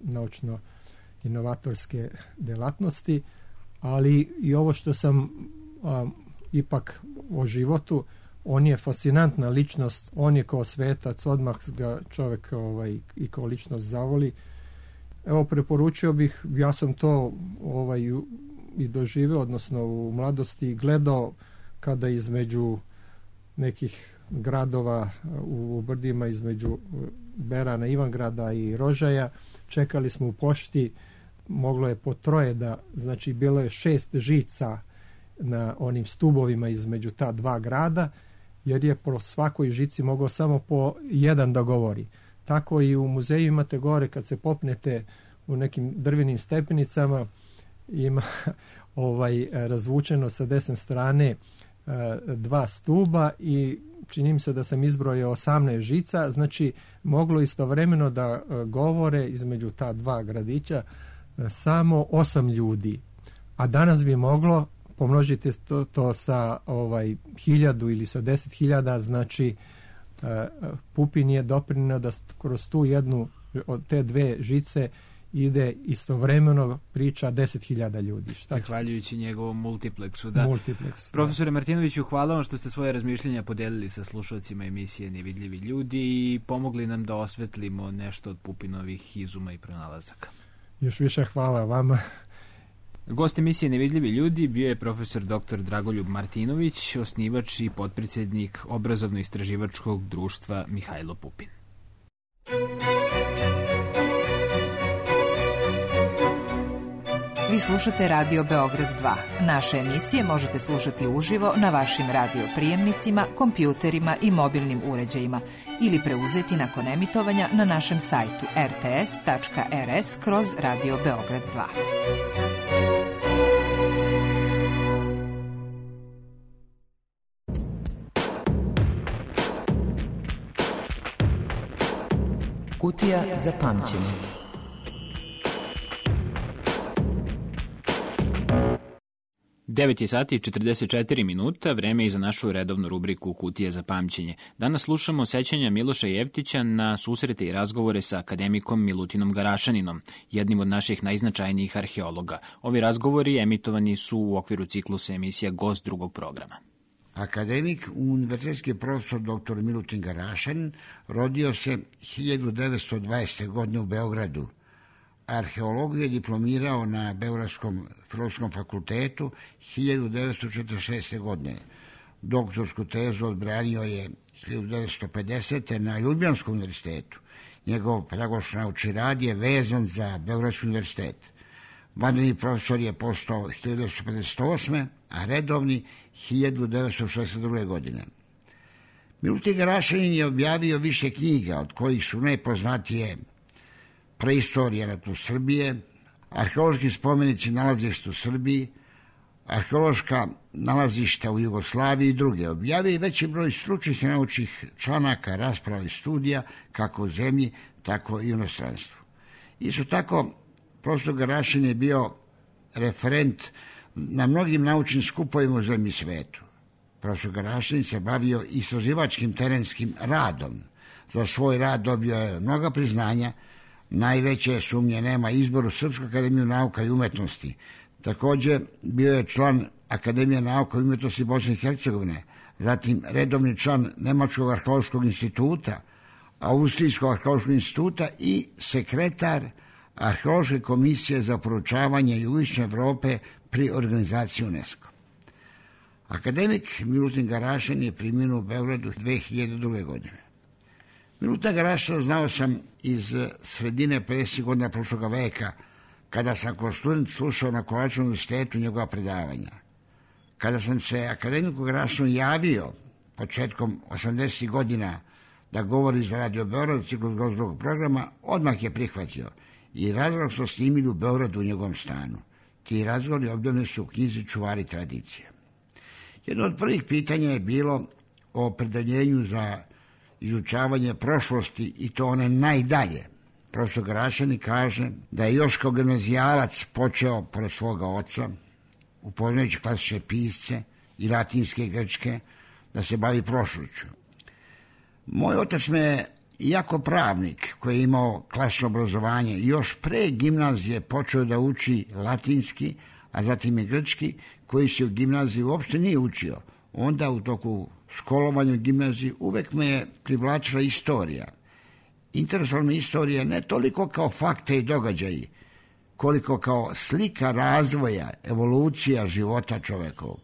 naučno-inovatorske delatnosti, ali i ovo što sam ipak o životu, on je fascinantna ličnost, on je kao svetac, odmah ga čovjek i kao ličnost zavoli. Evo, preporučio bih, ja sam to i doživio, odnosno u mladosti gledao kada između nekih gradova u brdima, između Berana, Ivangrada i Rožaja, čekali smo u pošti, moglo je po troje znači bilo je 6 žica na onim stubovima između ta dva grada, jer je po svakoj žici mogao samo po jedan da govori. Tako i u muzeju imate gore, kad se popnete u nekim drvenim stepenicama, ima razvučeno sa desne strane 2 stuba i čini mi se da sam izbrojio 18 žica, znači moglo istovremeno da govore između ta dva gradića samo 8 ljudi. A danas bi moglo, pomnožite to sa 1000 ili sa 10.000, znači Pupin je doprinio da kroz tu jednu od te dve žice ide istovremeno priča 10.000 ljudi. Zahvaljujući njegovom multipleksu. Profesore Martinoviću, hvala vam što ste svoje razmišljenja podelili sa slušalcima emisije Nevidljivi ljudi i pomogli nam da osvetlimo nešto od Pupinovih izuma i pronalazaka. Još više hvala vama. Gost emisije Nevidljivi ljudi bio je profesor dr. Dragoljub Martinović, osnivač i potpredsjednik Obrazovno-istraživačkog društva Mihajlo Pupin. Vi slušate Radio Beograd 2. Naše emisije možete slušati uživo na vašim radio prijemnicima, kompjuterima i mobilnim uređajima ili preuzeti nakon emitovanja na našem sajtu rts.rs/Radio Beograd 2. Kutija za pamćenje. Devet je sati i 44 minuta, vreme je za našu redovnu rubriku Kutija za pamćenje. Danas slušamo sećanja Miloša Jeftića na susrete i razgovore sa akademikom Milutinom Garašaninom, jednim od naših najznačajnijih arheologa. Ovi razgovori emitovani su u okviru ciklusa emisija Gost drugog programa. Akademik, univerzitetski profesor dr. Milutin Garašanin rodio se 1920. godine u Beogradu. Arheologiju je diplomirao na Beogradskom filozofskom fakultetu 1946. godine. Doktorsku tezu odbranio je 1950. na Ljubljanskom univerzitetu. Njegov pedagoško-naučni rad je vezan za Beogradski univerzitet. vanredni profesor je postao 1958. a redovni 1962. godine. Milutin Garašanin je objavio više knjiga, od kojih su najpoznatije Preistorija na tlu Srbije, Arheološki spomenici nalazišta u Srbiji, Arheološka nalazišta u Jugoslaviji i druge. Objavio je veći broj stručnih i naučnih članaka, rasprava i studija, kako u zemlji, tako i u inostranstvu. Isto tako, profesor Garašanin je bio referent na mnogim naučnim skupovima u zemlji i svetu. Profesor Garašanin se bavio istraživačkim terenskim radom. Za svoj rad dobio je mnoga priznanja, najveće sumnje nema izboru Srpsku akademiju nauka i umetnosti. Također bio je član Akademije nauka i umetnosti Bosne i Hercegovine, zatim redovni član Nemačkog arheološkog instituta, Austrijskog arheološkog instituta i sekretar Arheološke komisije za proučavanje jugoistočne Evrope pri organizaciji UNESCO. Akademik Milutin Garašanin je preminuo u Beogradu 2002. godine. Milutina Garašanina znao sam iz sredine 50. godina prošlog veka, kada sam kao student slušao na Kovačevom univerzitetu njegova predavanja. Kada sam se akademiku Garašaninu javio početkom 80. godina da govori za Radio Beograd ciklus drugog programa, odmah je prihvatio i razgovor smo snimili u Beogradu u njegovom stanu. Ti razgovori objavljeni su u knjizi Čuvari tradicije. Jedno od prvih pitanja je bilo o opredeljenju za izučavanje prošlosti i to one najdalje. Profesor Garašanin kaže da je još kao gimnazijalac počeo pored svoga oca, upoznajući klasične pisce i latinske i grčke, da se bavi prošlošću. Moj otac me je, iako pravnik koji je imao klasično obrazovanje, još pre gimnazije počeo da uči latinski, a zatim i grčki, koji se u gimnaziji uopšte nije učio. Onda u toku školovanja u gimnaziji uvek me je privlačila istorija. Interesovala me istorija ne toliko kao fakte i događaji, koliko kao slika razvoja, evolucija života čovekovog.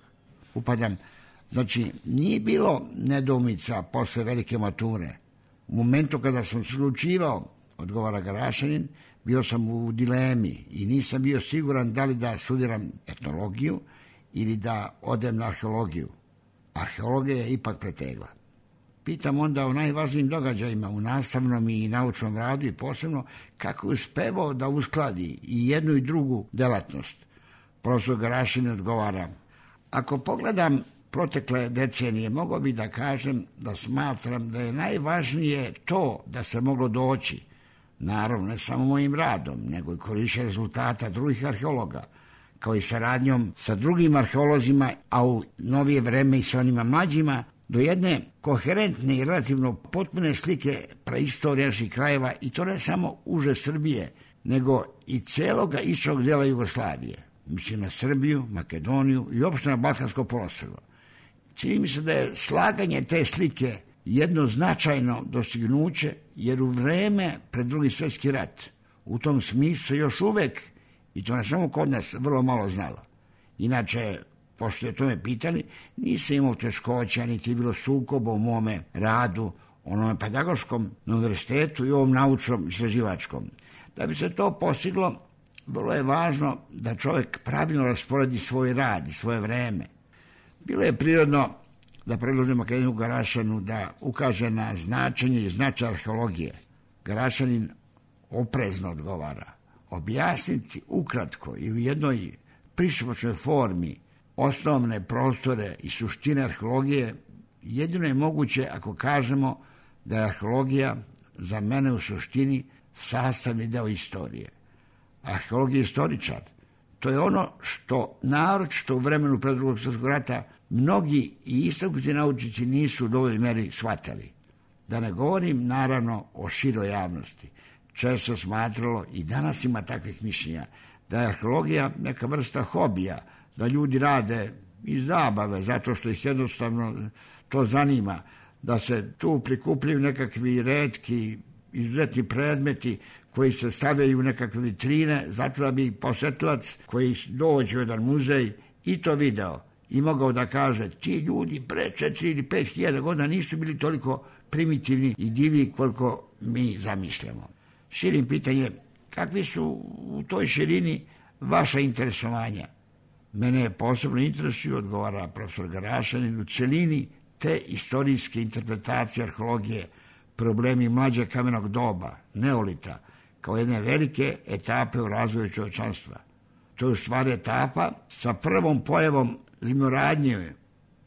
Upadam, znači nije bilo nedoumica posle velike mature. U momentu kada sam se odlučivao, odgovara Garašanin, bio sam u dilemi i nisam bio siguran da li da studiram etnologiju ili da odem na arheologiju. Arheologija je ipak pretegla. Pitam onda o najvažnijim događajima u nastavnom i naučnom radu i posebno kako je uspevao da uskladi i jednu i drugu delatnost. Profesor Garašanin odgovara: ako pogledam protekle decenije, mogao bi da kažem da smatram da je najvažnije to da se moglo doći, naravno ne samo mojim radom, nego i korišćenjem rezultata drugih arheologa, kao i saradnjom sa drugim arheolozima, a u novije vreme i sa onima mlađima, do jedne koherentne i relativno potpune slike preistorije naših krajeva, i to ne samo uže Srbije, nego i celoga istočnog dela Jugoslavije. Mislim na Srbiju, Makedoniju i uopšte na Balkansko poluostrvo. Čini mi se da je slaganje te slike jedno značajno dostignuće, jer u vreme pred Drugi svjetski rat u tom smislu se još uvek, i to ne samo kod nas, vrlo malo znalo. Inače, pošto je to me pitali, nisam imao teškoća, niti je bilo sukoba u mome radu, onome pedagoškom na univerzitetu i ovom naučnom istraživačkom. Da bi se to postiglo, vrlo je važno da čovjek pravilno rasporedi svoj rad i svoje vreme. Bilo je prirodno da predložim akademiku Garašaninu da ukaže na značenje i značaj arheologije. Garašanin oprezno odgovara: objasniti ukratko i u jednoj pristupačnoj formi osnovne prostore i suštine arheologije jedino je moguće ako kažemo da je arheologija za mene u suštini sastavni deo istorije. Arheologija je istoričar. To je ono što naročito u vremenu pred Drugog svjetskog rata mnogi i istaknuti naučnici nisu u dovoljnoj meri shvatali. Da ne govorim naravno o široj javnosti. Često smatralo, i danas ima takvih mišljenja, da je arheologija neka vrsta hobija, da ljudi rade iz zabave, zato što ih jednostavno to zanima, da se tu prikupljaju nekakvi retki, izuzetni predmeti koji se stavljaju u nekakve vitrine, zato da bi posetilac koji dođe u jedan muzej i to video i mogao da kaže: ti ljudi pre 4 ili 5 hiljada godina nisu bili toliko primitivni i divni koliko mi zamišljamo. Širim pitanje, kakvi su u toj širini vaša interesovanja. Mene posebno interesuju, odgovara profesor Garašanin, u celini te istorijske interpretacije arheologije, problemi mlađeg kamenog doba, neolita, kao jedne velike etape u razvoju čovječanstva. To je u stvari etapa sa prvom pojavom zemljoradnje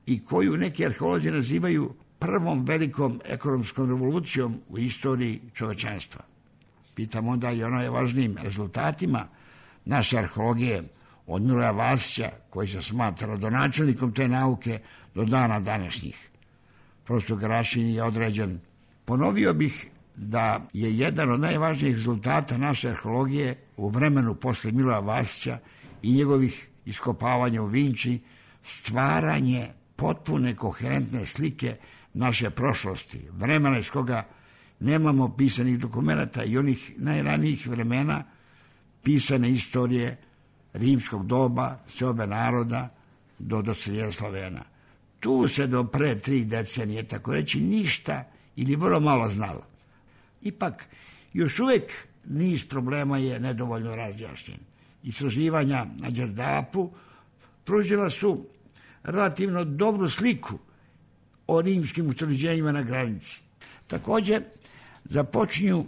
i koju neki arheolozi nazivaju prvom velikom ekonomskom revolucijom u istoriji čovječanstva. Pitam onda i o najvažnijim rezultatima naše arheologije od Miloja Vasića, koji se smatra rodonačelnikom te nauke do dana današnjih. Profesor Garašanin je određen. Ponovio bih da je jedan od najvažnijih rezultata naše arheologije u vremenu posle Miloja Vasića i njegovih iskopavanja u Vinči stvaranje potpune koherentne slike naše prošlosti, vremena iz koga nemamo pisanih dokumenata i onih najranijih vremena pisane istorije rimskog doba, seobe naroda do doseljenja Slovena. Tu se do pre 3 decenije, tako reći, ništa ili vrlo malo znalo. Ipak, još uvek niz problema je nedovoljno razjašnjen. Istraživanja na Đerdapu pružila su relativno dobru sliku o rimskim utvrđenjima na granici. Također, započinju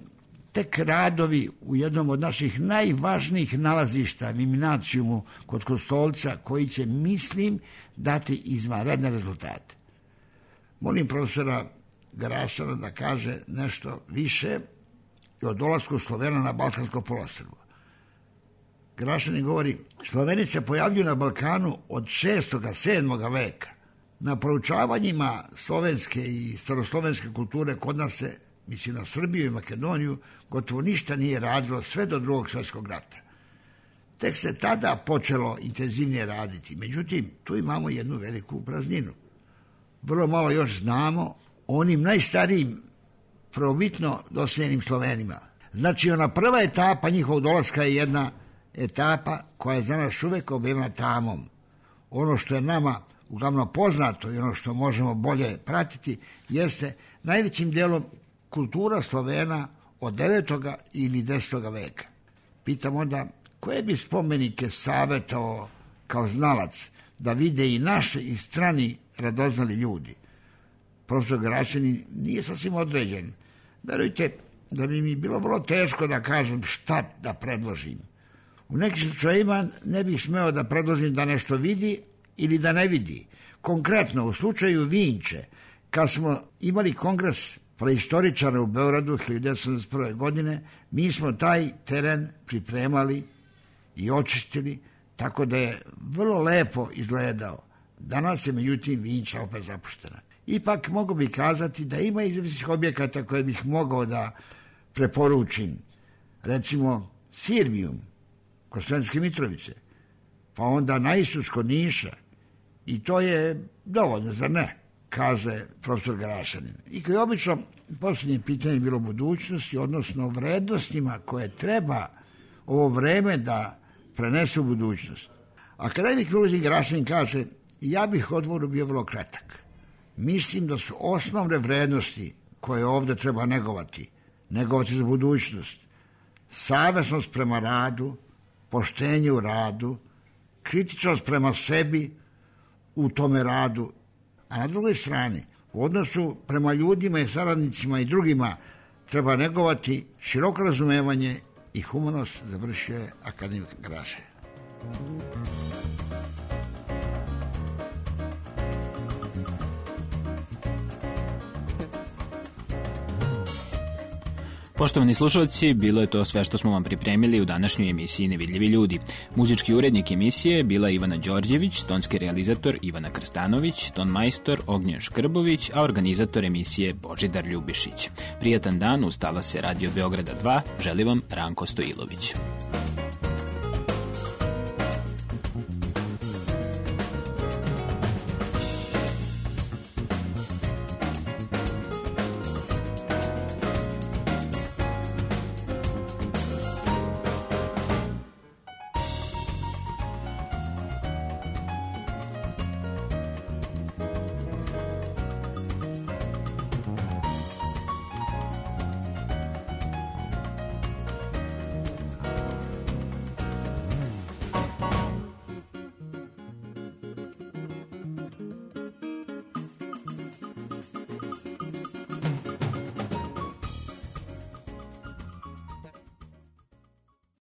tek radovi u jednom od naših najvažnijih nalazišta, Viminacijumu kod Kostolca, koji će, mislim, dati izvanredne rezultate. Molim profesora Garašana da kaže nešto više o dolasku Slovena na Balkansko poluostrvo. Garašanin govori, Sloveni se pojavljuju na Balkanu od 6. 7. veka. Na proučavanjima slovenske i staroslovenske kulture kod nas se, mislim na Srbiju i Makedoniju, gotovo ništa nije radilo sve do Drugog svjetskog rata. Tek se tada počelo intenzivnije raditi. Međutim, tu imamo jednu veliku prazninu. Vrlo malo još znamo o onim najstarijim, prvobitno doseljenim Slovenima. Znači, ona prva etapa njihovog dolaska je jedna etapa koja je za nas uvek objavljena tamom. Ono što je nama uglavnom poznato i ono što možemo bolje pratiti jeste najvećim delom kultura Slovena od 9. ili 10. veka. Pitam onda, koje bi spomenike savjetovao kao znalac da vide i naše i strani radoznali ljudi? Profesor Garašanin nije sasvim određen. Verujte da bi mi bilo vrlo teško da kažem šta da predložim. U nekim slučajima ne bih smeo da predložim da nešto vidi ili da ne vidi. Konkretno, u slučaju Vinče, kad smo imali kongres preistoričara u Beogradu 1981. godine, mi smo taj teren pripremali i očistili, tako da je vrlo lepo izgledao. Danas je, međutim, Vinča opet zapuštena. Ipak mogu bi kazati da ima izvjesnih objekata koje bih mogao da preporučim. Recimo, Sirbijum, kod Sremske Mitrovice, pa onda na Isus kod Niša. I to je dovoljno, zar ne? Kaže profesor Garašanin. I kao je obično, posljednje pitanje je bilo budućnosti, odnosno vrednostima koje treba ovo vreme da prenese u budućnost. Akademik Milutin Garašanin kaže, ja bih odgovoru bio vrlo kratak. Mislim da su osnovne vrednosti koje ovdje treba negovati za budućnost, savesnost prema radu, poštenje u radu, kritičnost prema sebi u tome radu, a na drugoj strani, u odnosu prema ljudima i saradnicima i drugima treba negovati široko razumevanje i humanost, završio je akademik Garašanin. Poštovani slušalci, bilo je to sve što smo vam pripremili u današnjoj emisiji Nevidljivi ljudi. Muzički urednik emisije bila Ivana Đorđević, tonski realizator Ivana Krstanović, ton majstor Ognjen Škrbović, a organizator emisije Božidar Ljubišić. Prijatan dan, ustala se Radio Beograda 2, želi vam Ranko Stojilović.